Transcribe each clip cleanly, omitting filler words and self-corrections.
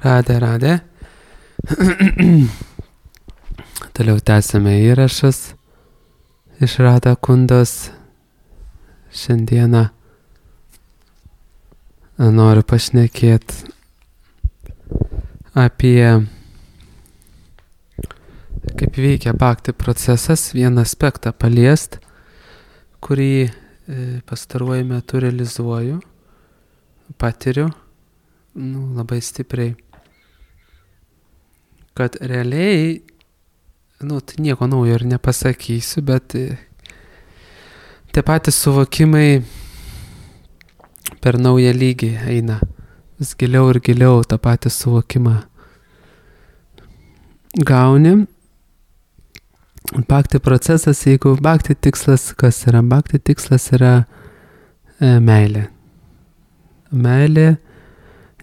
Radė. Toliau tęsime įrašus iš Radha Kundos. Šiandieną noriu pašnekėti apie kaip veikia bhakti procesas, vieną aspektą paliest, kurį pastaruoju metu realizuoju, patiriu labai stipriai, kad realiai, tai nieko naujo ir nepasakysiu, bet tie patys suvokimai per naują lygį eina, vis giliau ir giliau tą patį suvokimą gauni. Bhakti procesas, jeigu bhakti tikslas, kas yra? Bhakti tikslas yra meilė. Meilė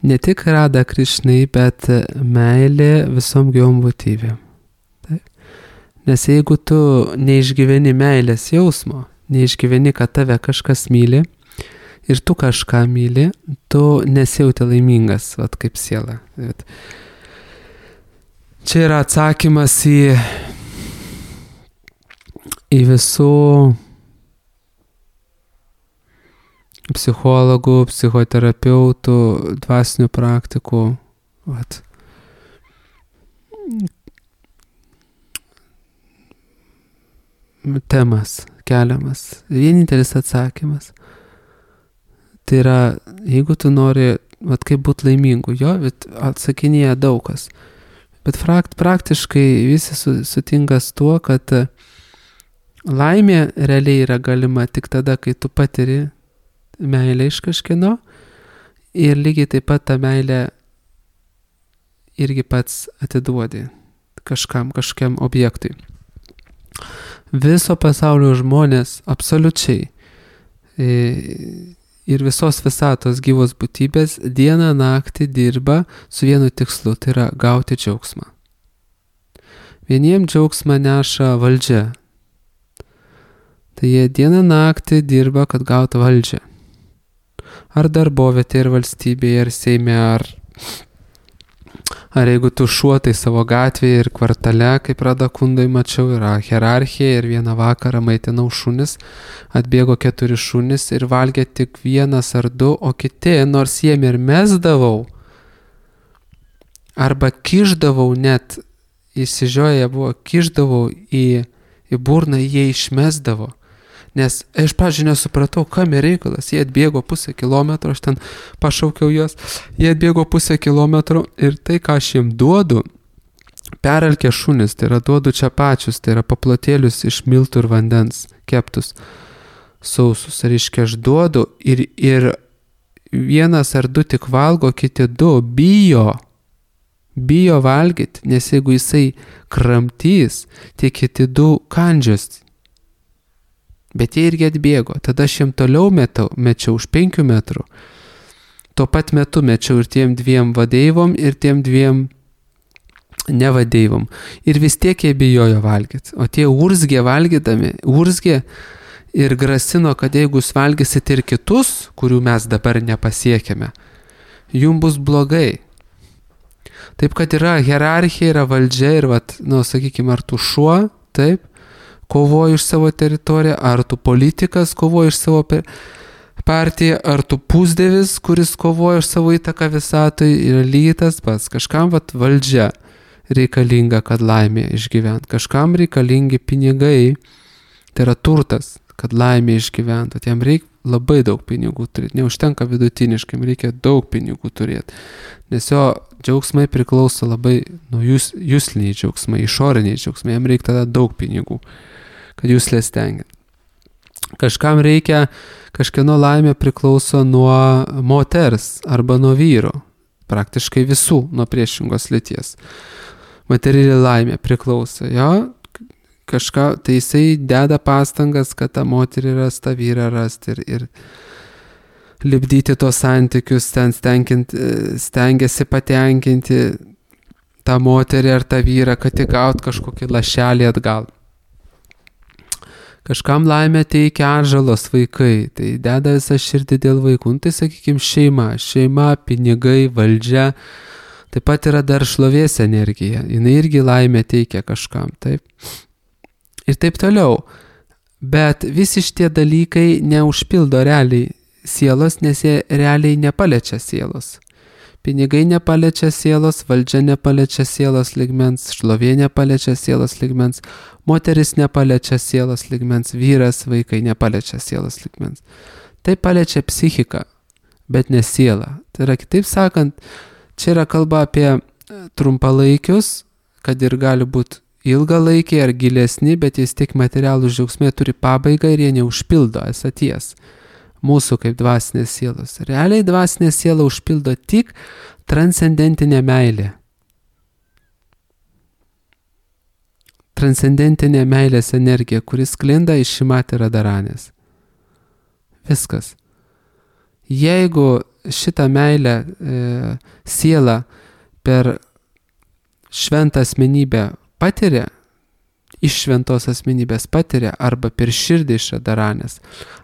ne tik Radha Krishnai, bet meilė visom gyvom būtybėm. Nes jeigu tu neišgyveni meilės jausmo, neišgyveni, kad tave kažkas myli ir tu kažką myli, tu nesijauti laimingas, kaip siela. Čia yra atsakymas į visų psichologų, psichoterapeutų, dvasinių praktikų temas keliamas. Vienintelis atsakymas. Tai yra, jeigu tu nori, kaip būti laimingu, atsakinėja daug kas. Bet praktiškai visi sutinka su tuo, kad laimė realiai yra galima tik tada, kai tu patiri meilę iš kažkieno ir lygiai taip pat tą meilę irgi pats atiduodi kažkiam objektui. Viso pasaulio žmonės absoliučiai ir visos visatos gyvos būtybės dieną naktį dirba su vienu tikslu, tai yra gauti džiaugsmą. Vieniem džiaugsmą neša valdžia. Tai jie dieną naktį dirba, kad gautų valdžią. Ar darbovietė, ir valstybėje, ir Seime, ar jeigu tu šuo, tai savo gatvėje ir kvartale, kaip Radha Kundoj mačiau, yra hierarchija ir vieną vakarą maitinau šunis, atbėgo 4 šunis ir valgė tik 1 ar 2, o kiti, nors jiem ir mesdavau, arba kišdavau net, įsižioję buvo, kišdavau į burną, jie išmesdavo. Nes aš nesupratau, kam reikalas. Jie atbėgo 0,5 kilometro, aš ten pašaukiau juos, jie atbėgo 0,5 kilometro ir tai, ką aš jiems duodu, peralkė šunis, tai yra duodu čia pačius, tai yra paplotėlius iš miltų ir vandens, keptus, sausus. Reiškia, aš duodu ir 1 ar 2 tik valgo, kiti 2 bijo valgyti, nes jeigu jisai kramtys, tai kiti 2 kandžios. Bet jie irgi atbėgo. Tada aš jiem toliau mečiau už 5 metrų. Tuo pat metu mečiau ir tiem 2 vadeivom, ir tiem 2 nevadeivom. Ir vis tiek jie bijojo valgyti. O tie urzgė valgydami, ir grasino, kad jeigu jūs valgysit ir kitus, kurių mes dabar nepasiekėme, jums bus blogai. Taip, kad yra hierarchija, yra valdžia ir, sakykime, ar tu šuo, taip, kovoji už savo teritoriją, ar tu politikas kovoji už savo partiją, ar tu pusdievis, kuris kovoja už savo įtaką visatoj, yra lygiai tas pats. Kažkam valdžia reikalinga, kad laimė išgyvent. Kažkam reikalingi pinigai, tai yra turtas, kad laimė išgyvent. Jam reikia labai daug pinigų turėti. Neužtenka vidutiniškai, reikia daug pinigų turėti. Nes jo džiaugsmai priklauso labai nuo jusliniai džiaugsmai, išoriniai džiaugsmai. Jam reikia tada daug pinigų, kad juslės tengia. Kažkam reikia, kažkieno laimė priklauso nuo moters arba nuo vyro. Praktiškai visų nuo priešingos lyties. Materiali laimė priklauso. Tai jisai deda pastangas, kad tą moterį rast, tą vyrą rasti ir lipdyti tos santykius, ten stengiasi patenkinti tą moterį ar tą vyrą, kad įgaut kažkokį lašelį atgal. Kažkam laimę teikia atžalos vaikai, tai deda visą širdį dėl vaikų. Tai sakykime šeima, pinigai, valdžia, Taip pat yra dar šlovės energija, jinai irgi laimę teikia kažkam, taip. Ir taip toliau. Bet visi šitie dalykai neužpildo realiai sielos, nes jie realiai nepaliečia sielos. Pinigai nepaliečia sielos, valdžia nepaliečia sielos lygmens, šlovė nepaliečia sielos lygmens, moteris nepaliečia sielos lygmens, vyras, vaikai nepaliečia sielos lygmens. Tai paliečia psichiką, bet ne sielą. Tai yra, kitaip sakant, čia yra kalba apie trumpalaikius, kad ir gali būti ilgalaikiai ar gilesni, bet jis tik materialų džiaugsmai turi pabaigą ir jie neužpildo esaties. Mūsų kaip dvasinės sielos. Realiai dvasinė siela užpildo tik transcendentinė meilė. Transcendentinė meilės energija, kuris sklinda iš Šrimati Radharanės. Viskas. Jeigu šitą meilę sielą per šventą asmenybę patiria, iš šventos asmenybės patiria, arba per širdį iš Radharanės,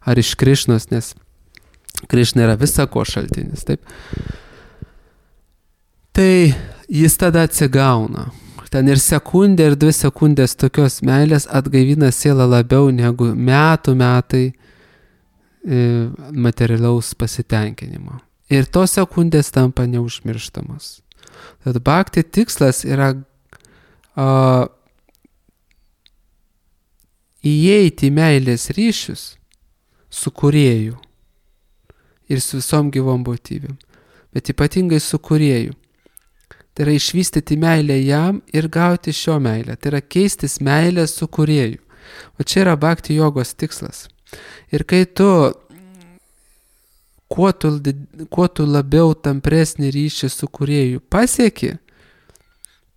ar iš Krišnos, nes Krišna yra visako šaltinis, taip. Tai jis tada atsigauna. Ten ir sekundė, ir 2 sekundės tokios meilės atgaivina sielą labiau negu metai materialaus pasitenkinimo. Ir tos sekundės tampa neužmirštamos. Tad bhakti tikslas yra įeiti į meilės ryšius su kūrėju ir su visom gyvom būtybėm, bet ypatingai su kūrėju. Tai yra išvystyti meilę jam ir gauti šio meilę. Tai yra keistis meilę su kūrėju. O čia yra bhakti jogos tikslas. Ir kai tu, kuo tu labiau tampresnį ryšį su kūrėju pasieki,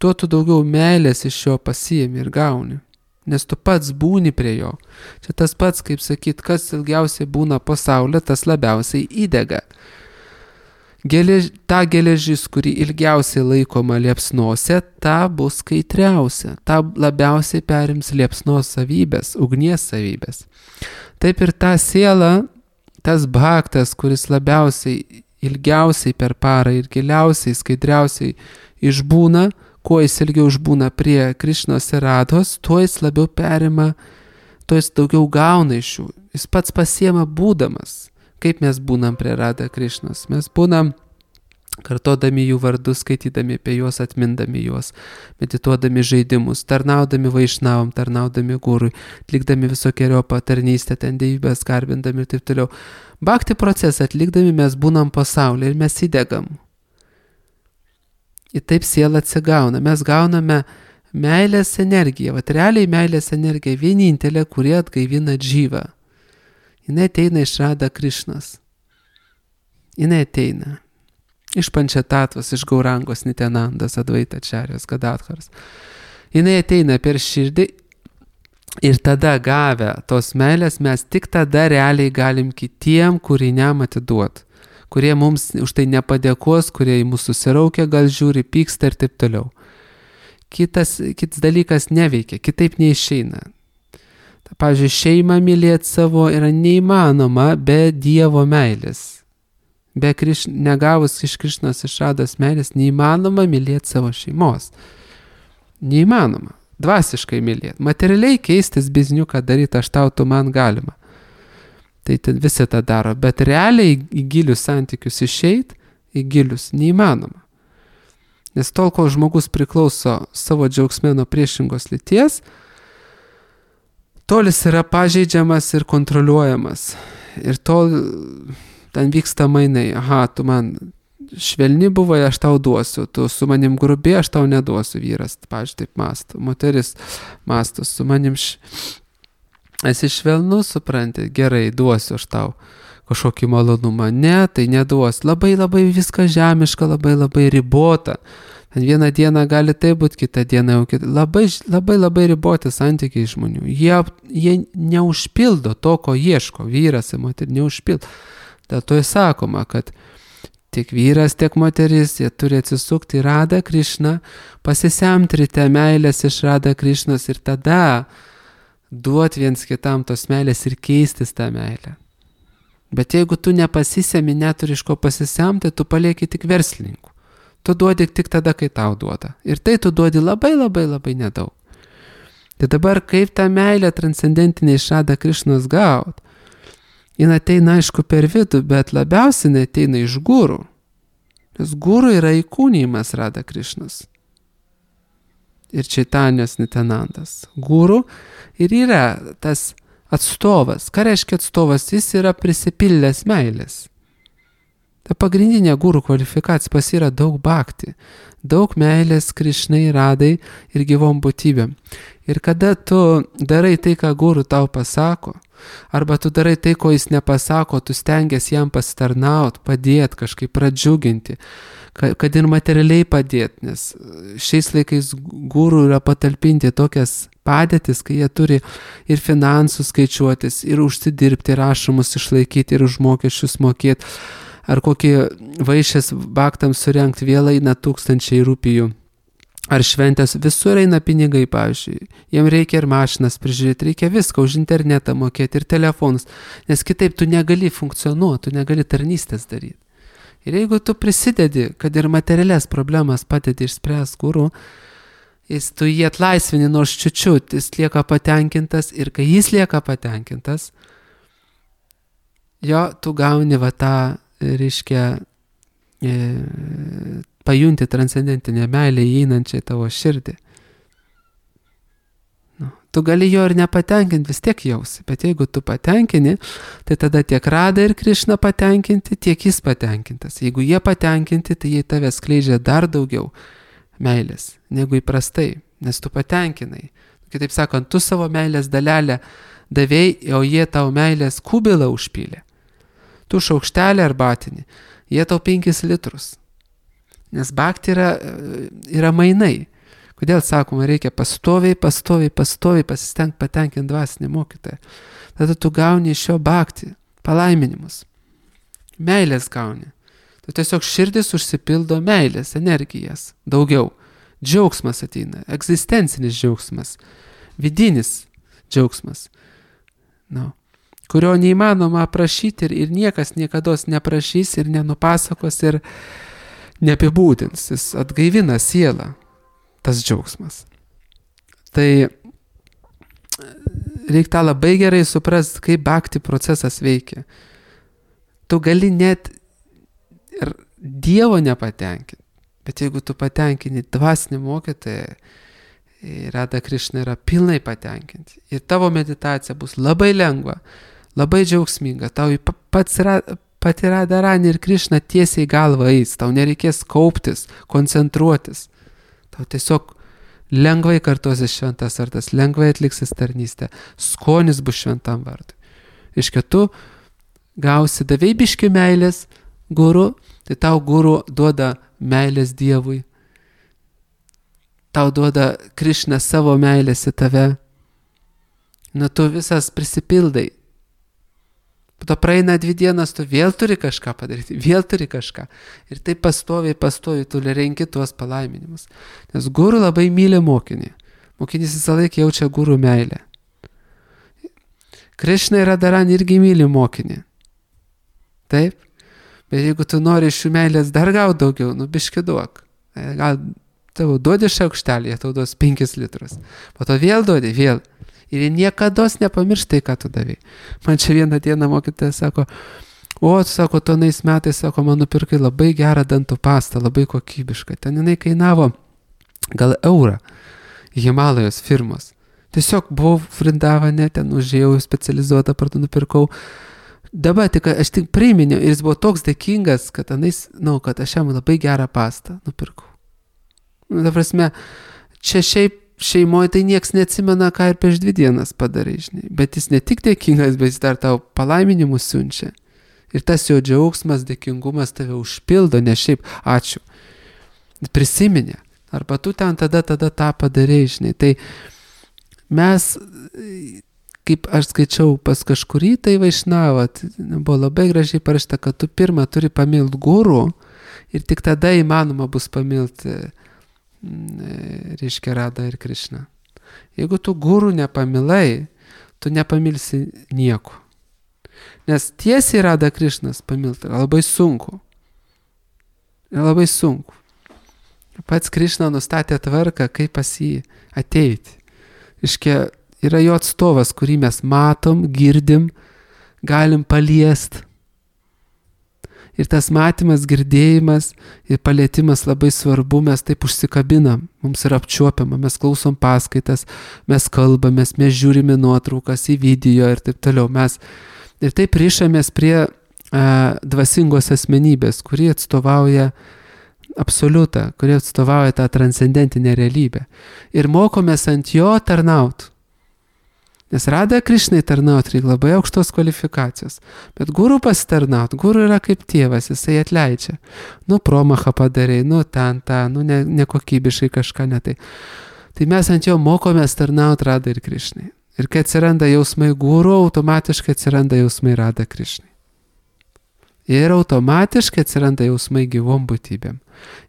tuo tu daugiau meilės iš jo pasiimi ir gauni. Nes tu pats būni prie jo. Čia tas pats, kaip sakyt, kas ilgiausiai būna po saulė, tas labiausiai įdega. Ta geležis, kuri ilgiausiai laikoma liepsnose, ta bus kaitriausia. Ta labiausiai perims liepsnos savybės, ugnies savybės. Taip ir ta siela, tas bhaktas, kuris labiausiai, ilgiausiai per parą ir giliausiai, skaidriausiai išbūna, kuo jis ilgiau išbūna prie Krišnos ir Radhos, tuo jis labiau perima, tuo jis daugiau gauna iš jų. Jis pats pasiema būdamas. Kaip mes būnam prie Radha Krišnos? Mes būnam kartodami jų vardus, skaitydami apie juos, atmindami juos, medituodami žaidimus, tarnaudami vaišnavom, tarnaudami gurui, atlikdami visokiojopą tarnystę, ten dievybės garbindami ir taip toliau. Bhakti procesą atlikdami mes būnam pasaulyje ir mes įdegam. Ir taip siela atsigauna. Mes gauname meilės energiją. Vat realiai meilės energija vienintelė, kuri atgaivina džyvą. Jis ateina iš Radha Krišnos. Jis ateina iš Pančatatvos, iš Gaurangos, Nityanandos, Advaita Ačarijos, Gadadharos. Jis ateina per širdį ir tada gavę tos meilės mes tik tada realiai galim kitiem kūriniam atiduoti, kurie mums už tai nepadėkos, kurie į mūsų susiraukia, gal žiūri, pyksta ir taip toliau. Kitas dalykas neveikia, kitaip neišeina. Pavyzdžiui, šeimą mylėti savo yra neįmanoma be Dievo meilės. Negavus iš Krišnos iš Radhos meilės, neįmanoma mylėti savo šeimos. Neįmanoma. Dvasiškai mylėti. Materialiai keistis bizniuką daryti, aš tau, tu man galima. Tai visi tą daro, bet realiai į gilius santykius išeit, į gilius neįmanoma. Nes tol, kol žmogus priklauso savo džiaugsme nuo priešingos lyties, tol jis yra pažeidžiamas ir kontroliuojamas. Ir tol ten vyksta mainai. Aha, tu man švelni buvai, aš tau duosiu. Tu su manim grubi, aš tau neduosiu. Vyras, pavyzdžiui, taip mąsto. Moteris mąsto, su manim esi švelnus, supranti, gerai, duosiu aš tau kažkokį malonumą. Ne, tai neduos. Labai viskas žemiška, labai ribota. Vieną dieną gali tai būti, kitą dieną jau kitą. Labai riboti santykiai žmonių. Jie neužpildo to, ko ieško. Vyras ir moteris neužpildo. Dėl to įsakoma, kad tiek vyras, tiek moteris, jie turi atsisukti į Radha Krišną, pasisemti ryte meilės iš Radha Krišnos ir tada duoti viens kitam tos meilės ir keistis tą meilę. Bet jeigu tu nepasisemi, neturi iš ko pasisemti, tu palieki tik verslininkų. Tu duodi tik tada, kai tau duoda. Ir tai tu duodi labai labai labai nedaug. Tai dabar kaip tą meilę transcendentinę iš Rada Krišnos gaut? Jis ateina aišku per vidų, bet labiausiai ateina iš guru. Nes guru yra įkūnijimas Rada Krišnos. Ir Čaitanijos Nitanandas. Guru ir yra tas atstovas. Ką reiškia atstovas? Jis yra prisipildęs meilės. Ta pagrindinė guru kvalifikacija pas yra daug bhakti, daug meilės Krišnai, Radai ir gyvom būtybėm. Ir kada tu darai tai, ką guru tau pasako, arba tu darai tai, ko jis nepasako, tu stengiasi jam pasitarnaut, padėti, kažkaip pradžiuginti, kad ir materialiai padėti, nes šiais laikais guru yra patalpinti tokias padėtis, kai jie turi ir finansų skaičiuotis, ir užsidirbti, ir rašomus išlaikyti, ir už mokesčius mokėti, ar kokį vaišės baktams surengti, vėl eina 1000 rupijų, ar šventės, visur eina pinigai, pavyzdžiui, jiem reikia ir mašinas prižiūrėti, reikia viską už internetą mokėti ir telefonus, nes kitaip tu negali funkcionuoti, tu negali tarnystės daryti. Ir jeigu tu prisidedi, kad ir materialias problemas padedi išspręs guru, tu jį atlaisvini nors čiučiut, jis lieka patenkintas ir kai jis lieka patenkintas, jo, tu gauni va tą, reiškia, pajunti transcendentinę meilę įeinančią į tavo širdį. Tu gali jo ir nepatenkinti, vis tiek jausi, bet jeigu tu patenkini, tai tada tiek Rada ir Krišna patenkinti, tiek jis patenkintas. Jeigu jie patenkinti, tai jie tave skleidžia dar daugiau meilės negu įprastai, nes tu patenkinai. Kitaip sakant, tu savo meilės dalelę davėjai, o jie tau meilės kubilą užpylė. Tu šaukštelį arbatinį, jie tau 5 litrus. Nes bhakti yra mainai. Kodėl sakoma, reikia pastoviai pasistengti patenkinti dvasinį mokytoją. Tada tu gauni iš jo bhakti, palaiminimus. Meilės gauni. Tu tiesiog širdis užsipildo meilės, energijas, daugiau. Džiaugsmas ateina, egzistencinis džiaugsmas, vidinis džiaugsmas, kurio neįmanoma aprašyti ir niekas niekados neprašys ir nenupasakos ir neapibūdins. Jis atgaivina sielą. Tas džiaugsmas. Tai reikia tą labai gerai suprasti, kaip bhakti procesas veikia. Tu gali net ir Dievo nepatenkinti, bet jeigu tu patenkini dvasinį mokytoją, Rada Krišna yra pilnai patenkinti. Ir tavo meditacija bus labai lengva, labai džiaugsminga. Tau pati Radharani ir Krišna tiesiai galva eis. Tau nereikės kauptis, koncentruotis. Tau tiesiog lengvai kartosis šventas vardas, lengvai atliksis tarnystę, skonis bus šventam vardui. Iškia tu gausi davei biški meilės guru, tai tau guru duoda meilės Dievui. Tau duoda Krišna savo meilės į tave. Tu visas prisipildai. Po to praeina 2 dienas, tu vėl turi kažką padaryti, vėl turi kažką. Ir taip pastoviai tu renki tuos palaiminimus. Nes guru labai myli mokinį. Mokinys visą laiką jaučia guru meilę. Krišna ir Radharani irgi myli mokinį. Taip? Bet jeigu tu nori iš jų meilės dar gauti daugiau, biški duok. Gal tau duodi šaukštelį, jie tau duos 5 litrus. Po to vėl duodi, vėl. Ir jie niekados nepamirštai, ką tu davai. Man čia vieną dieną mokytoja sako, tu tonais metais, man nupirkai labai gerą dantų pastą, labai kokybišką. Ten jinai kainavo gal eurą Himalajos firmos. Tiesiog buvau Vrindavane, ten užėjau specializuotą partų, nupirkau. Dabar aš tik priminiau ir jis buvo toks dėkingas, kad kad aš jam labai gerą pastą nupirkau. Ta prasme, čia šiaip šeimoje tai nieks neatsimena, ką ir prieš 2 dienas padarai, žinai. Bet jis ne tik dėkingas, bet jis dar tau palaiminimus siunčia. Ir tas jo džiaugsmas, dėkingumas tave užpildo, ne šiaip ačiū. Prisiminė. Arba tu ten tada tą padarai, žinai. Tai mes, kaip aš skaičiau pas kažkurį, tai Vaišnavą, buvo labai gražiai parašyta, kad tu pirmą turi pamilti guru ir tik tada įmanoma bus pamilti reiškia Rada ir Krišna. Jeigu tu guru nepamilai, tu nepamilsi nieko. Nes tiesiai Rada Krišnas pamilti yra labai sunku. Labai sunku. Pats Krišna nustatė tvarką, kaip pas jį ateiti. Iškia, yra jo atstovas, kurį mes matom, girdim, galim paliest. Ir tas matymas, girdėjimas ir palietimas labai svarbu, mes taip užsikabinam, mums yra apčiuopiama, mes klausom paskaitas, mes kalbamės, mes žiūrime nuotraukas į video ir taip toliau. Mes ir taip rišamės prie dvasingos asmenybės, kuri atstovauja absoliutą, kuri atstovauja tą transcendentinę realybę. Ir mokomės ant jo tarnaut. Nes Radha Krišnai tarnaut reikia labai aukštos kvalifikacijos. Bet guru pasitarnaut, guru yra kaip tėvas, jisai atleidžia. Promachą padarai, nekokybiškai kažką netai. Tai mes ant jo mokomės tarnaut Radha ir Krišnai. Ir kai atsiranda jausmai guru, automatiškai atsiranda jausmai Radha Krišnai. Ir automatiškai atsiranda jausmai gyvom būtybėm.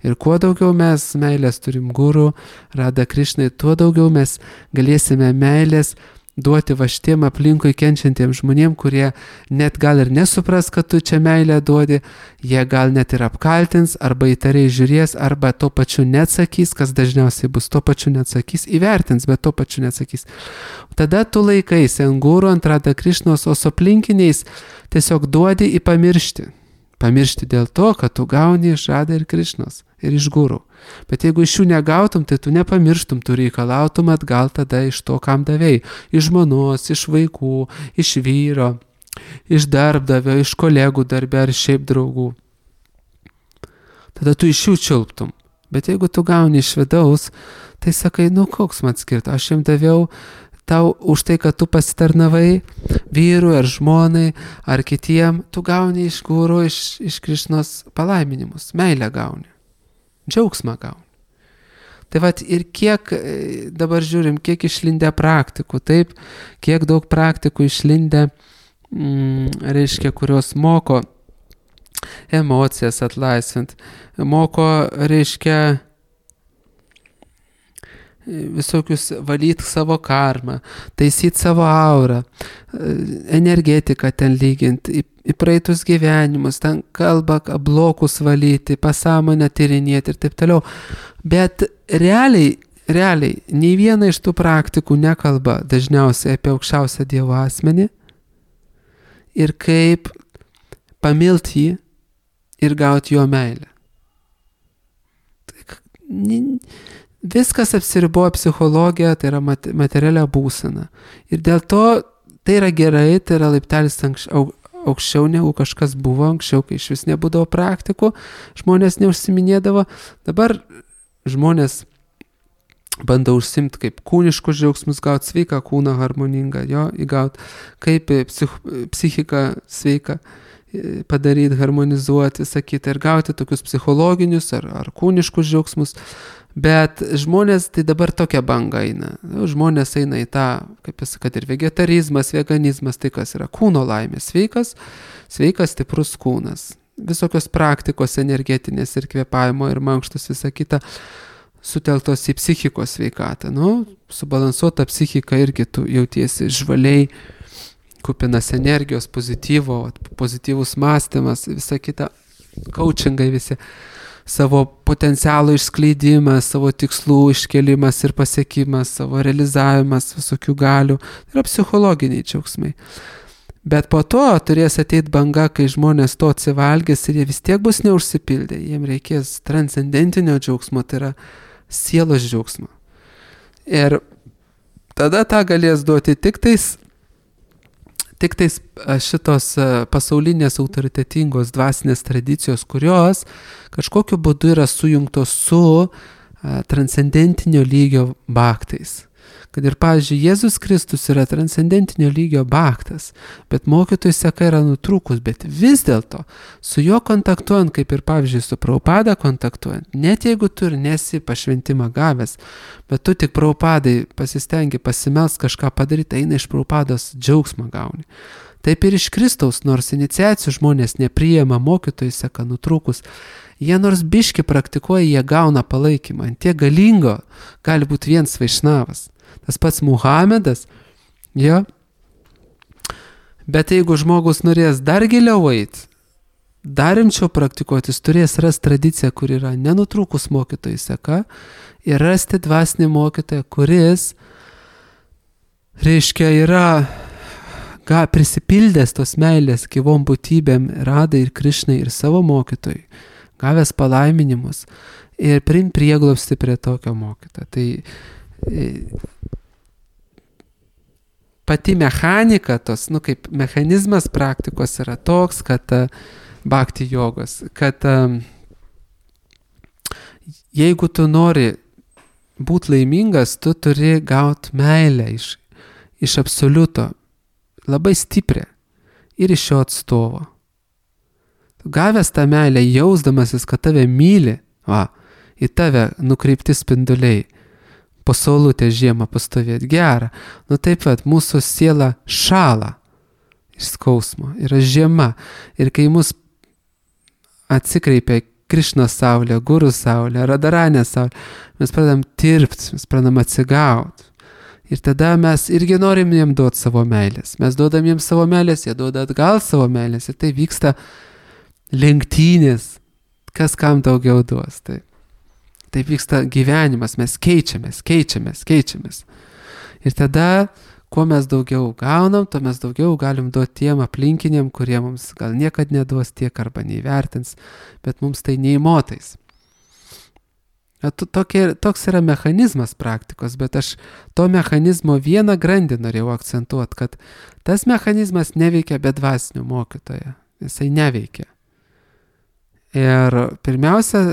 Ir kuo daugiau mes meilės turim guru, Radha Krišnai, tuo daugiau mes galėsime meilės duoti va šitiem aplinkui kenčiantiem žmonėm, kurie net gal ir nesupras, kad tu čia meilę duodi, jie gal net ir apkaltins, arba įtariai žiūrės, arba tuo pačiu neatsakys, kas dažniausiai bus, tuo pačiu neatsakys, įvertins, bet tuo pačiu neatsakys. Tada tu laikaisi ant guru, ant Radha Krišnos, o su aplinkiniais tiesiog duodi į pamiršti. Pamiršti dėl to, kad tu gauni iš Radha ir Krišnos ir iš guru. Bet jeigu iš jų negautum, tai tu nepamirštum, tu reikalautum atgal tada iš to, kam davėjai. Iš žmonos, iš vaikų, iš vyro, iš darbdavio, iš kolegų darbe ar šiaip draugų. Tada tu iš jų čiulptum. Bet jeigu tu gauni iš vidaus, tai sakai, koks man skirta, aš jam daviau tau už tai, kad tu pasitarnavai vyrui ar žmonai ar kitiem, tu gauni iš guru, iš Krišnos palaiminimus, meilę gauni. Džiaugsmą gauni. Tai vat ir kiek, dabar žiūrim, kiek išlindę praktikų, taip, kiek daug praktikų išlindę, reiškia, kurios moko emocijas atlaisvint, moko, reiškia, visokius valyti savo karmą, taisyti savo aurą, energetiką ten lyginti, į praeitus gyvenimus, ten kalbą, blokus valyti, pasąmonę tyrinėti ir taip toliau. Bet realiai, nei viena iš tų praktikų nekalba dažniausiai apie aukščiausią Dievo asmenį ir kaip pamilti jį ir gauti jo meilę. Viskas apsiriboja psichologija, tai yra materialia būsena. Ir dėl to tai yra gerai, tai yra laiptelis aukščiau negu kažkas buvo anksčiau, kai iš vis nebūdavo praktikų, žmonės neužsiminėdavo. Dabar žmonės bando užsimti kaip kūniškus džiaugsmus, gauti sveiką kūną harmoningą, jo įgauti, kaip psichiką sveiką padaryti, harmonizuoti, sakyti, ir gauti tokius psichologinius ar kūniškus džiaugsmus. Bet žmonės, tai dabar tokia banga eina. Žmonės eina į tą, kaip jis sakė, ir vegetarizmas, veganizmas, tai kas yra kūno laimė, sveikas, stiprus kūnas. Visokios praktikos energetinės ir kvėpavimo ir mankštos, visa kita, sutelktos į psichikos sveikatą. Subalansuota psichika irgi tu jautiesi žvaliai, kupinas energijos, pozityvus mąstymas, visa kita, coachingai visi. Savo potencialo išskleidimas, savo tikslų iškelimas ir pasiekimas, savo realizavimas visokių galių. Tai yra psichologiniai džiaugsmai. Bet po to turės ateiti banga, kai žmonės to atsivalgės ir jie vis tiek bus neužsipildę. Jiem reikės transcendentinio džiaugsmo, tai yra sielos džiaugsmo. Ir tada tą galės duoti tik tais šitos pasaulinės autoritetingos dvasinės tradicijos, kurios kažkokiu būdu yra sujungtos su transcendentinio lygio bhaktais. Kad ir, pavyzdžiui, Jėzus Kristus yra transcendentinio lygio bhaktas, bet mokytojų seka yra nutrūkus, bet vis dėlto su juo kontaktuojant, kaip ir, pavyzdžiui, su Prabhupada kontaktuojant, net jeigu tu ir nesi pašventimą gavęs, bet tu tik Prabhupadai pasistengi pasimelst kažką padaryti, eina iš Prabhupados džiaugsmą gauni. Taip ir iš Kristaus, nors iniciacijų žmonės nepriima, mokytojų seka nutrūkus, jie nors biški praktikuoja, jie gauna palaikymą. Ant tiek galingo gali būti vienas vaišnavas. Tas pats Muhamedas, jo. Bet jeigu žmogus norės dar giliau eiti, dar rimčiau praktikuoti, jis turės rasti tradiciją, kur yra nenutrūkus mokytojų seka ir rasti dvasinį mokytoją, kuris, reiškia, yra prisipildęs tos meilės gyvom būtybėm Radai ir Krišnai ir savo mokytojui, gavęs palaiminimus ir priimt prieglobstį prie tokio mokytojo. Tai pati mechanika, kaip mechanizmas praktikos yra toks, kad bhakti jogos, kad jeigu tu nori būti laimingas, tu turi gauti meilę iš absoliuto, labai stiprią ir iš šio atstovo. Gavęs tą meilę, jausdamasis, kad tave myli, į tave nukreipti spinduliai, po saulutę žiemą pastovėti gerą. Taip pat mūsų siela šala iš skausmo, yra žiema. Ir kai mus atsikreipia Krišnos saulė, Guru saulė, Radaranė saulė, mes pradedam tirpti, mes pradedam atsigauti. Ir tada mes irgi norim jiem duoti savo meilės. Mes duodam jiems savo meilės, jie duoda atgal savo meilės. Ir tai vyksta lenktynės, kas kam daugiau duos. Tai vyksta gyvenimas, mes keičiamės. Ir tada, kuo mes daugiau gaunam, tuo mes daugiau galim duoti tiem aplinkiniam, kurie mums gal niekad neduos tiek arba neįvertins, bet mums tai neįmotais. Toks yra mechanizmas praktikos, bet aš to mechanizmo vieną grandį norėjau akcentuoti, kad tas mechanizmas neveikia be dvasinio mokytojo. Jisai neveikia. Ir pirmiausia,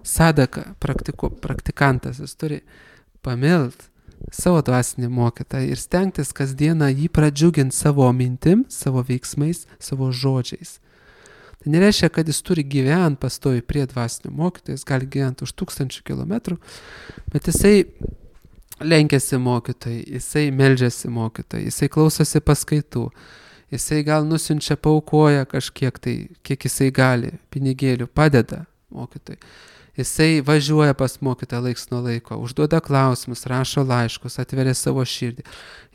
sadaka, praktikantas, jis turi pamilt savo dvasinį mokytoją ir stengtis kasdieną jį pradžiuginti savo mintim, savo veiksmais, savo žodžiais. Tai nereiškia, kad jis turi gyventi pastovi prie dvasinio mokytojo, jis gali gyventi už 1000 kilometrų, bet jisai lenkiasi mokytojai, jisai meldžiasi mokytojai, jisai klausosi paskaitų, jisai gal nusiunčia, paaukoja kažkiek tai, kiek jisai gali, pinigėlių, padeda mokytojai. Jisai važiuoja pas mokytoją laiks nuo laiko, užduoda klausimus, rašo laiškus, atveria savo širdį.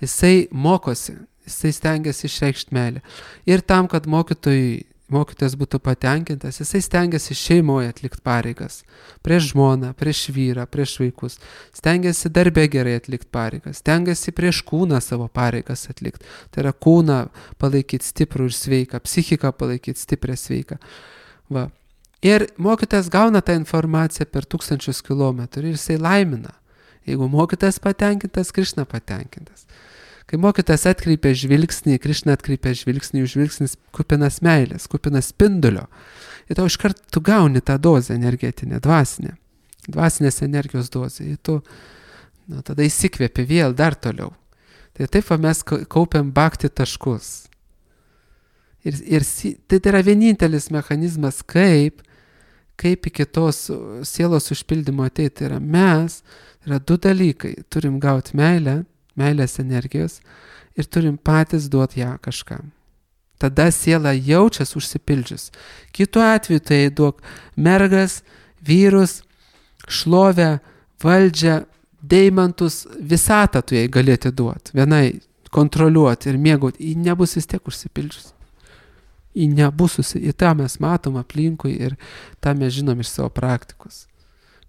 Jisai mokosi, jisai stengiasi išreikšti meilę. Ir tam, kad mokytojas būtų patenkintas, jisai stengiasi šeimoje atlikti pareigas. Prieš žmoną, prieš vyrą, prieš vaikus. Stengiasi darbe gerai atlikti pareigas. Stengiasi prieš kūną savo pareigas atlikti. Tai yra kūną palaikyti stiprų ir sveiką, psichiką palaikyti stiprią sveiką. Ir mokytojas gauna tą informaciją per 1000 kilometrų ir jisai laimina. Jeigu mokytojas patenkintas, Krišna patenkintas. Kai mokytojas atkreipia žvilgsnį, Krišna atkreipia žvilgsnį, jų žvilgsnis kupinas meilės, kupinas spindulio. Ir tau iškart tu gauni tą dozę energetinę, dvasinės energijos dozę. Ir tu tada įsikvėpi vėl dar toliau. Tai taip mes kaupiam bhakti taškus. Ir tai yra vienintelis mechanizmas, kaip iki tos sielos užpildymo ateiti. Tai yra mes, yra 2 dalykai. Turim gauti meilės energijos ir turim patys duoti ją kažkam. Tada siela jaučias užsipildžius. Kitu atveju tai duok mergas, vyrus, šlovę, valdžią, deimantus, visatą tu jai galėti duoti. Vienai kontroliuoti ir mėgauti. Ji nebus vis tiek užsipildžius. Ir tą mes matom aplinkui ir tą mes žinom iš savo praktikos.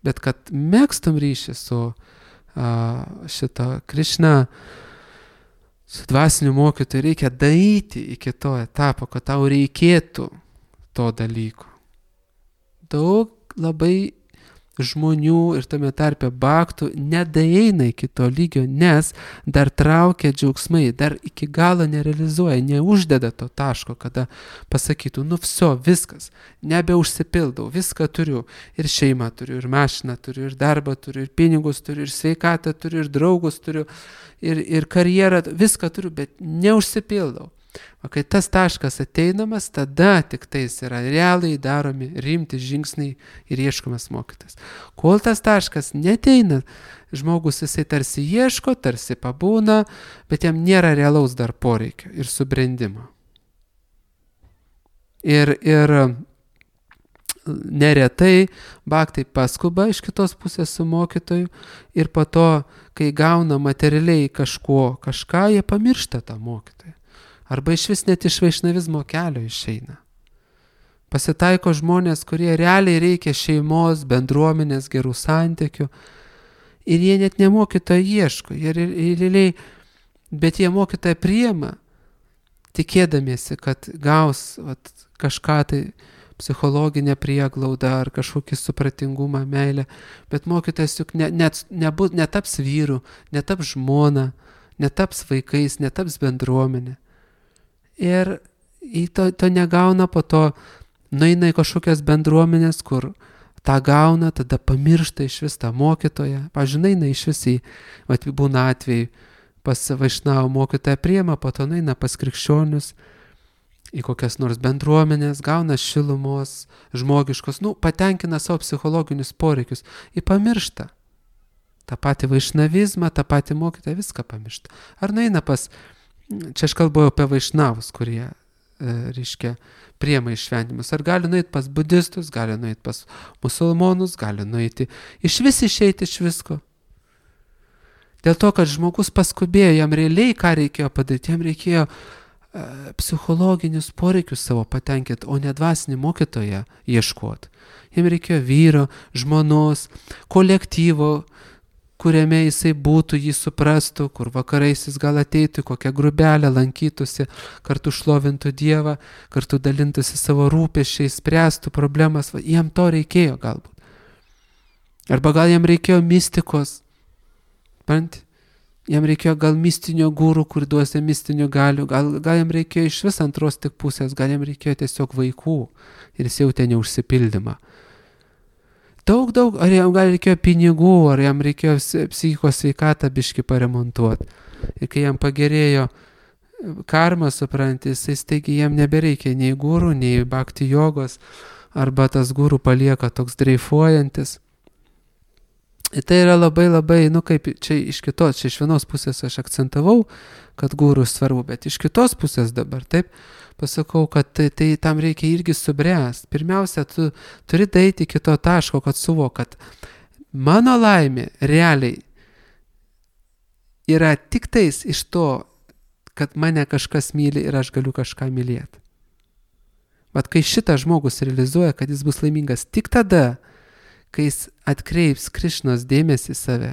Bet kad mėgstum ryšį su šito Krišna, su dvasiniu mokytoju, reikia daryti iki to etapo, kad tau reikėtų to dalyko. Daug labai žmonių ir tame tarpe bhaktų nedaeina iki to lygio, nes dar traukia džiaugsmai, dar iki galo nerealizuoja, neuždeda to taško, kada pasakytų, viskas, nebeužsipildau, viską turiu, ir šeimą turiu, ir mašiną turiu, ir darbą turiu, ir pinigus turiu, ir sveikatą turiu, ir draugus turiu, ir karjerą, viską turiu, bet neužsipildau. O kai tas taškas ateinamas, tada tik tais yra realiai daromi rimti žingsniai ir ieškomas mokytas. Kol tas taškas neteina, žmogus jisai tarsi ieško, tarsi pabūna, bet jam nėra realaus dar poreikio ir subrendimo. Ir neretai bhaktai paskuba iš kitos pusės su mokytoju ir po to, kai gauna materialiai kažką, jie pamiršta tą mokytoją. Arba iš vis net iš vaišnavizmo kelio išeina. Pasitaiko žmonės, kurie realiai reikia šeimos, bendruomenės, gerų santykių. Ir jie net ne mokytojo ieško. Realiai, bet jie mokytoją priima, tikėdamiesi, kad gaus kažką tai psichologinę prieglaudą ar kažkokį supratingumą, meilę. Bet mokytojas juk netaps vyru, netaps žmona, netaps vaikais, netaps bendruomenė. Ir to negauna, po to nueina į kažkokias bendruomenės, kur tą gauna, tada pamiršta iš vis tą mokytoją. Pavyzdžiui, eina iš vis būna atvejai, pas Vaišnavo mokytoją priima, po to eina pas krikščionius, į kokias nors bendruomenės, gauna šilumos, žmogiškos, patenkina savo psichologinius poreikius, pamiršta. tą patį vaišnavizmą, tą patį mokytoją, viską pamiršta. Ar nueina pas, čia aš kalbėjau apie vaišnavus, kurie, reiškia, priema išventimus. Ar gali nueiti pas budistus, gali nueiti pas musulmonus, gali nueiti, išeiti iš visko. Dėl to, kad žmogus paskubėjo, jam realiai ką reikėjo padaryti, jam reikėjo psichologinius poreikius savo patenkinti, o ne dvasinį mokytoją ieškoti. Jam reikėjo vyro, žmonos, kolektyvo, kuriame jisai būtų, jį suprastų, kur vakarais jis gal ateitų, kokią grubelę lankytųsi, kartu šlovintų Dievą, kartu dalintųsi savo rūpesčiais, spręstų problemas. Jam to reikėjo galbūt. Arba gal jam reikėjo mistikos. Jam reikėjo gal mistinio gūrų, kur duosi mistinių galių, gal jam reikėjo iš vis antros tik pusės, gal jam reikėjo tiesiog vaikų ir jis jautė neužsipildymą. Daug, ar jam gal reikėjo pinigų, ar jam reikėjo psichikos sveikatą biškį paremontuoti. Ir kai jam pagerėjo karma, supranti, jisai staigiai jam nebereikia nei gūrų, nei bhakti jogos, arba tas gūrų palieka toks dreifuojantis. Ir tai yra labai, kaip čia iš kitos, čia iš vienos pusės aš akcentavau, kad gūrų svarbu, bet iš kitos pusės dabar, taip, pasakau, kad tai tam reikia irgi subręsti. Pirmiausia, tu turi daeiti iki to taško, kad suvok, kad mano laimė realiai yra tik tais iš to, kad mane kažkas myli ir aš galiu kažką mylėti. Bet kai šitas žmogus realizuoja, kad jis bus laimingas tik tada, kai jis atkreips Krišnos dėmesį į save,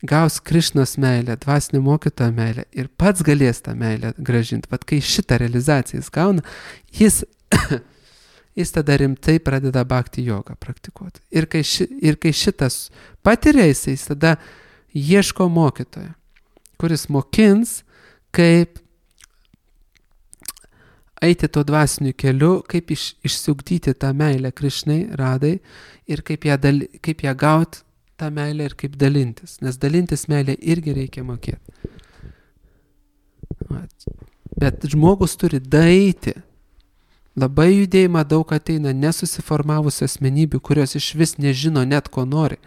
gaus Krišnos meilę, dvasinio mokytojo meilę ir pats galės tą meilę gražinti. Vat kai šitą realizaciją jis gauna, jis tada rimtai pradeda bhakti jogą praktikuoti. Ir kai šitas patiria, jis tada ieško mokytojo, kuris mokins, kaip eiti to dvasiniu keliu, kaip išsiugdyti tą meilę Krišnai, Radai, ir kaip ją gauti tą meilę ir kaip dalintis. Nes dalintis meilę irgi reikia mokėti. Bet žmogus turi daeiti. Labai judėjimą daug ateina nesusiformavusių asmenybių, kurios iš vis nežino net ko nori.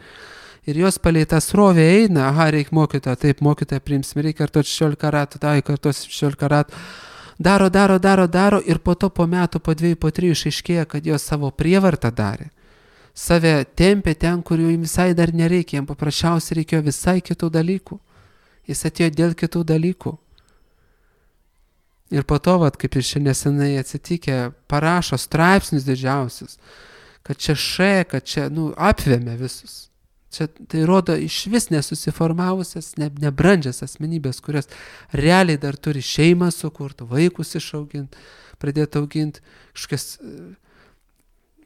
Ir jos palei tą srovę eina, reikia mokytoją, taip, mokytoją priimsim, reikia kartuoti 16 ratų, kartuoti 16 ratų. Daro ir po to po metų, po 2, po 3 išaiškėja, kad jos savo prievartą darė. Save tempė ten, kur jų visai dar nereikia, jam paprasčiausiai reikėjo visai kitų dalykų. Jis atėjo dėl kitų dalykų. Ir po to, kaip ir šiandien nesenai atsitikę, parašo straipsnius didžiausius, kad čia kad čia, apvėmė visus. Čia tai rodo iš vis nesusiformavusias, nebrandžias asmenybės, kurios realiai dar turi šeimą sukurti, vaikus išauginti, pradėti auginti, kažkokias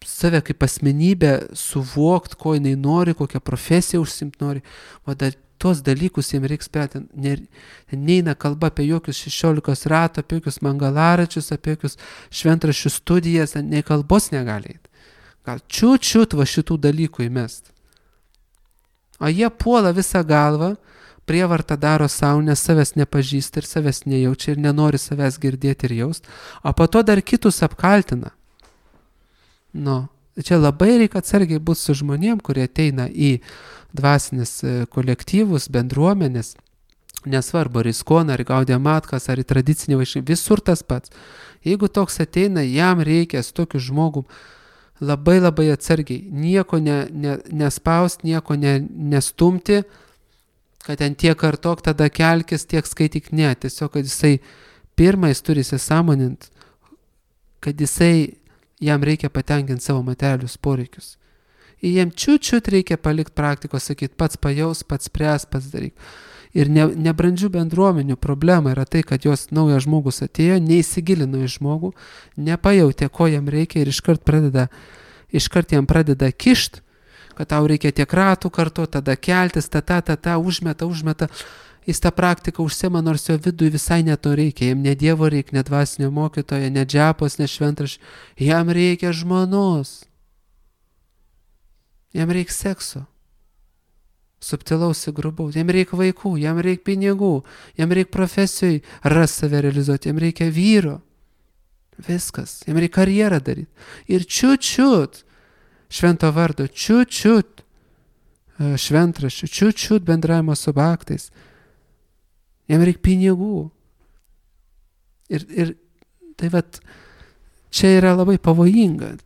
save kaip asmenybę suvokti, ko jinai nori, kokią profesiją užsimti nori. O dar tos dalykus jiems reikia spręsti. Neina kalba apie jokius 16 ratų, apie jokius mangalaračius, apie jokius šventraščių studijas, nei kalbos negali eiti. Gal čiut va šitų dalykų įmest. O jie puola visą galvą, prievartą daro savo, nes savęs nepažįsta ir savęs nejaučia ir nenori savęs girdėti ir jaust, o po to dar kitus apkaltina. Čia labai reikia atsargiai būti su žmonėm, kurie ateina į dvasinis kolektyvus, bendruomenės, nesvarbu, ar į Iskoną, ar į Gaudiją Matkas, ar į tradicinį vaišnavizmą, visur tas pats. Jeigu toks ateina, jam reikia su tokiu žmogum labai atsargiai, nieko nespausti, nieko nestumti, kad ten tiek kartok, tada kelkis, tiek skaityk, tiesiog, kad jis turi įsisąmoninti, kad jisai Jam reikia patenkinti savo materialius poreikius. Ir jam čiut reikia palikti praktikos, sakyti, pats pajaus, pats spręs, pats daryk. Ir nebrandžių bendruomenių problema yra tai, kad jos naujas žmogus atėjo, neįsigilino į žmogų, nepajautė, ko jam reikia ir iškart jam pradeda kišt, kad tau reikia tiek ratų kartu, tada keltis, užmeta. Jis tą praktiką užsima, nors jo vidui visai neto reikia. Jam ne Dievo reikia, ne dvasinio mokytojo, ne džepos, ne šventraščio. Jam reikia žmonos. Jam reikia sekso. Subtilaus ir grubaus. Jam reikia vaikų, jam reikia pinigų, jam reikia profesijai save realizuoti, jam reikia vyro. Viskas. Jam reikia karjerą daryti. Ir čiut švento vardo, čiut šventraščių, čiut bendravimo su baktais. Jam reikia pinigų. Ir tai čia yra labai pavojinga.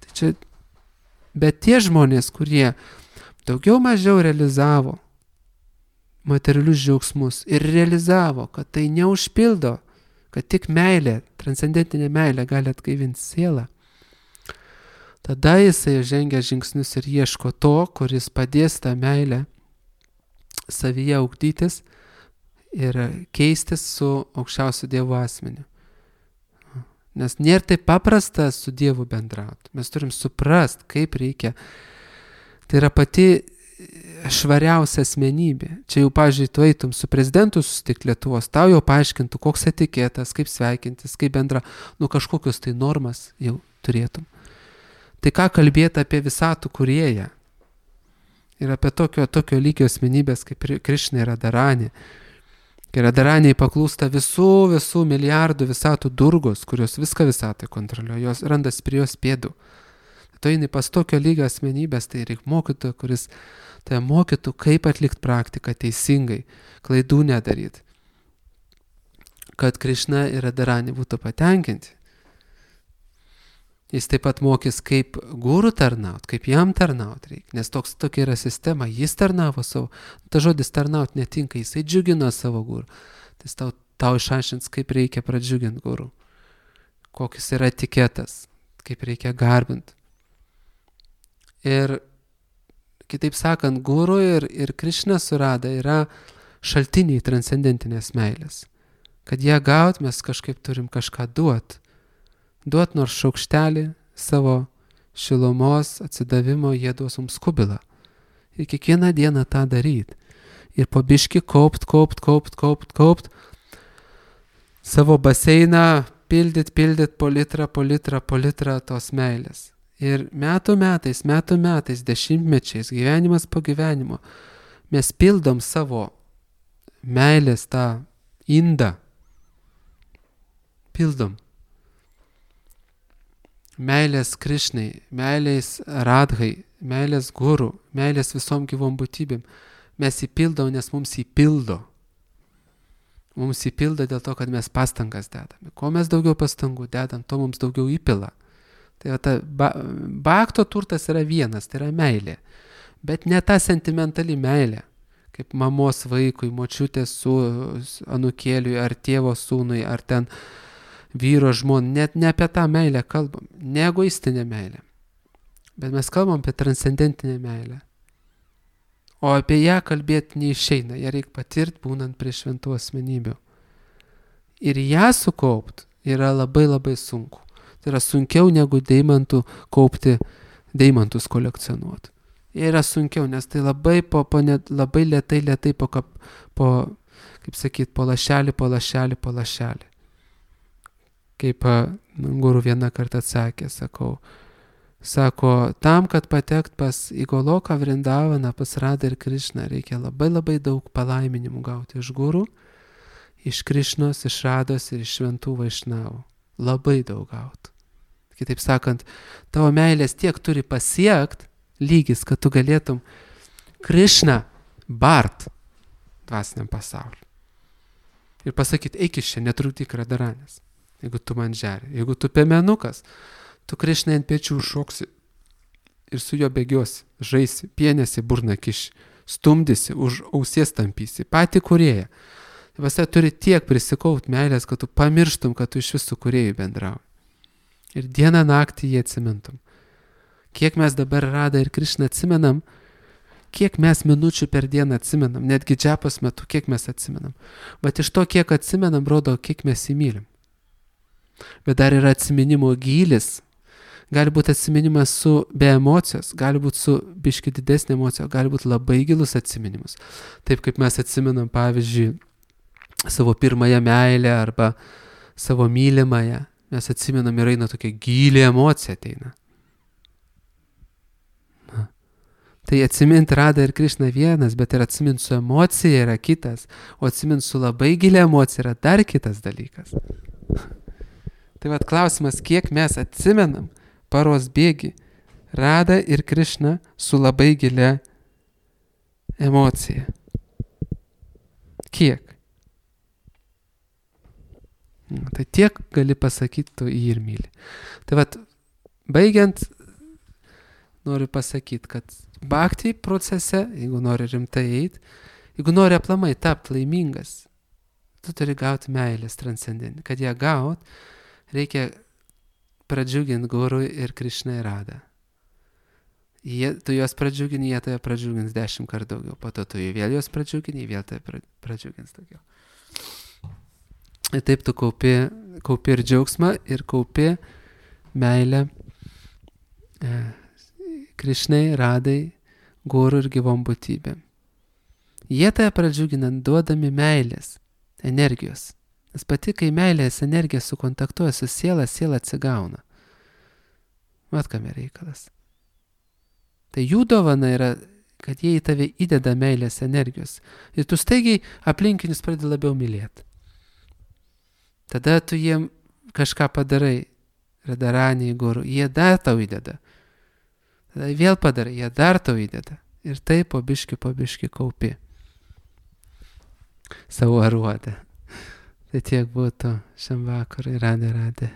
Bet tie žmonės, kurie daugiau mažiau realizavo materialius džiaugsmus ir realizavo, kad tai neužpildo, kad tik meilė, transcendentinė meilė gali atgaivinti sielą, tada jisai žengia žingsnius ir ieško to, kuris padės tą meilę savyje ugdytis ir keistis su aukščiausiu Dievo asmeniu. Nes nėra taip paprasta su Dievu bendrauti. Mes turim suprast, kaip reikia. Tai yra pati švariausia asmenybė. Čia jau, pavyzdžiui, tu eitum su prezidentu susitikti Lietuvos, tau jau paaiškintų, koks etiketas, kaip sveikintis, kaip bendra, kažkokius tai normas jau turėtum. Tai ką kalbėti apie visatų kūrėją? Ir apie tokio lygio asmenybės kaip Krišna ir Radharani. Kai Radharaniai paklūsta visų milijardų visatų durgos, kurios viską visatai kontroliuoja, jos randas prie jos pėdų. Tai jinai pas tokio lygio asmenybės, tai reikia mokytojo, kuris tai mokytų, kaip atlikti praktiką teisingai, klaidų nedaryti. Kad Krišna ir Radharani būtų patenkinti. Jis taip pat mokys, kaip guru tarnaut, kaip jam tarnaut reikia, nes tokia yra sistema, jis tarnavo savo, ta žodis tarnaut netinka, jisai džiugino savo guru, tai tau išaiškins, kaip reikia pradžiuginti guru, kokis yra etiketas, kaip reikia garbinti. Ir kitaip sakant, guru ir Krišna su Radha yra šaltiniai transcendentinės meilės. Kad ją gaut, mes kažkaip turim kažką duoti. Duot nors šaukštelį savo šilumos atsidavimo, jie duos mums kubilą. Ir kiekvieną dieną tą daryti. Ir po biškį kaupt. Savo baseiną pildyt po litrą tos meilės. Ir metų metais, dešimtmečiais, gyvenimas po gyvenimo, mes pildom savo meilės tą indą. Pildom. Meilės Krišnai, meilės Radhai, meilės guru, meilės visom gyvom būtybėm. Mes įpildom, nes mums įpildo. Mums įpildo dėl to, kad mes pastangas dedame. Kuo mes daugiau pastangų dedam, to mums daugiau įpila. Tai bhakto turtas yra vienas, tai yra meilė. Bet ne ta sentimentali meilė, kaip mamos vaikui, močiutės su anūkėliui, ar tėvo sūnui, ar ten vyro žmon, net ne apie tą meilę kalbam, ne egoistinę meilę, bet mes kalbam apie transcendentinę meilę. O apie ją kalbėti neišeina, ją reikia patirti būnant prie šventų asmenybių. Ir ją sukaupt yra labai labai sunku. Tai yra sunkiau negu deimantus kolekcionuoti. Jie yra sunkiau, nes tai labai labai lėtai po lašelį. Kaip guru vieną kartą atsakė, sako, tam, kad patekt pas Igoloką Vrindavaną, pas Radhą ir Krišną, reikia labai labai daug palaiminimų gauti iš guru, iš Krišnos, iš Radhos ir iš šventų vaišnavų. Labai daug gauti. Kitaip sakant, tavo meilės tiek turi pasiekt lygis, kad tu galėtum Krišną bart dvasiniam pasauliu. Ir pasakyti, eik iš čia, netrukdyk Radharanės. Jeigu tu man žeri, jeigu tu piemenukas, tu Krišnai ant pečių šoksi ir su juo bėgiosi, žaisi, pienėsi, burną kiši, stumdysi, už ausies tampysi, patį kūrėją. Vasa turi tiek prisikaut meilės, kad tu pamirštum, kad tu iš visų kūrėjų bendrauji. Ir dieną naktį jį atsimintum. Kiek mes dabar Radą ir Krišną atsimenam, kiek mes minučių per dieną atsimenam, netgi džapos metu, kiek mes atsimenam. Bet iš to, kiek atsimenam, rodo, kiek mes įmylim. Bet dar yra atsiminimo gylis. Gali būti atsiminimas be emocijos, gali būti su biški didesnė emocija, gali būti labai gilus atsiminimas. Taip kaip mes atsimenam, pavyzdžiui, savo pirmąją meilę arba savo mylimąją. Mes atsimenam ir eina tokia gili emocija ateina. Tai atsimint Radą ir Krišną vienas, bet ir atsimint su emocija yra kitas, o atsimint su labai gilia emocija yra dar kitas dalykas. Tai vat klausimas, kiek mes atsimenam paros bėgi Radą ir Krišną su labai gilia emocija. Kiek? Tai tiek gali pasakyti, tu jį ir myli. Tai vat, baigiant, noriu pasakyti, kad bhakti procese, jeigu nori rimtai eiti, jeigu nori aplamai tapti laimingas, tu turi gauti meilės transcendentinį. Kad ją gaut, reikia pradžiuginti Guru ir Krišną ir Radą. Tu juos pradžiugini, jie tave pradžiugins 10 kartų daugiau. Po to tu vėl juos pradžiugini, jie vėl tave pradžiugins daugiau. Ir taip tu kaupi ir džiaugsmą, ir kaupi meilę Krišnai, Radai, Guru ir gyvom būtybėm. Jie tave pradžiuginant duodami meilės, energijos. Nes pati, kai meilės energija sukontaktuoja su siela, siela atsigauna. Mat, kame reikalas. Tai jų dovana yra, kad jie į tave įdeda meilės energijos. Ir tu staigiai aplinkinius pradedi labiau mylėti. Tada tu jiem kažką padarai, Radaraniai, Guru, jie dar tau įdeda. Tada vėl padarai, jie dar tau įdeda. Ir taip po biški kaupi savo aruodą. Tai tiek būtų šiam vakarui. Radė.